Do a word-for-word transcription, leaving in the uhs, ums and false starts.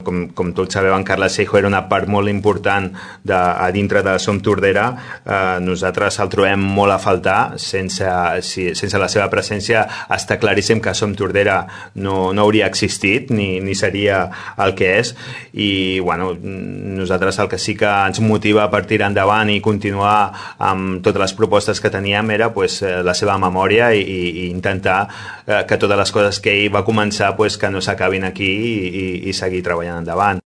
Com, com tots sabeu, en Carles Seijo era una part molt important de, a dintre de Som Tordera. Eh, nosaltres el trobem molt a faltar. Sense, si, sense la seva presència està claríssim que Som Tordera no, no hauria existit ni, ni seria el que és. I bueno, nosaltres el que sí que ens motiva per tirar endavant i continuar amb totes les propostes que teníem era pues, la seva memòria i, i intentar eh, que totes les coses que ell va començar pues, que no s'acabin aquí i, i, i seguir treballant endavant.